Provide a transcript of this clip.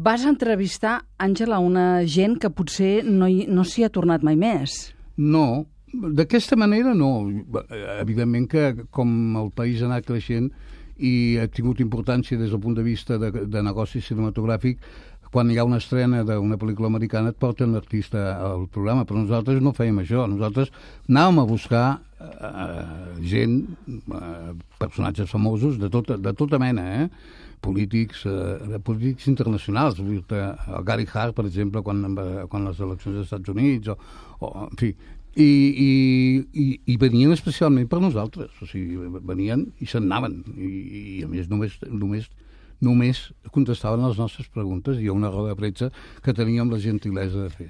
Vas entrevistar, Àngela, una gent que potser no s'hi ha tornat mai més. No, d'aquesta manera no. Evidentment que com el país ha anat creixent i ha tingut importància des del punt de vista de negoci cinematogràfic, quan hi ha una estrena d'una pel·lícula americana et porten l'artista al programa, però nosaltres no fèiem això. Nosaltres anàvem a buscar gent, personatges famosos de tota mena, polítics internacionals. El Gary Hart, per exemple, quan les eleccions dels Estats Units, en fi, i venien especialment per nosaltres. O sigui, venien i se'n anaven. I a més només contestaven les nostres preguntes i una roda de premsa que teníem la gentilesa de fer.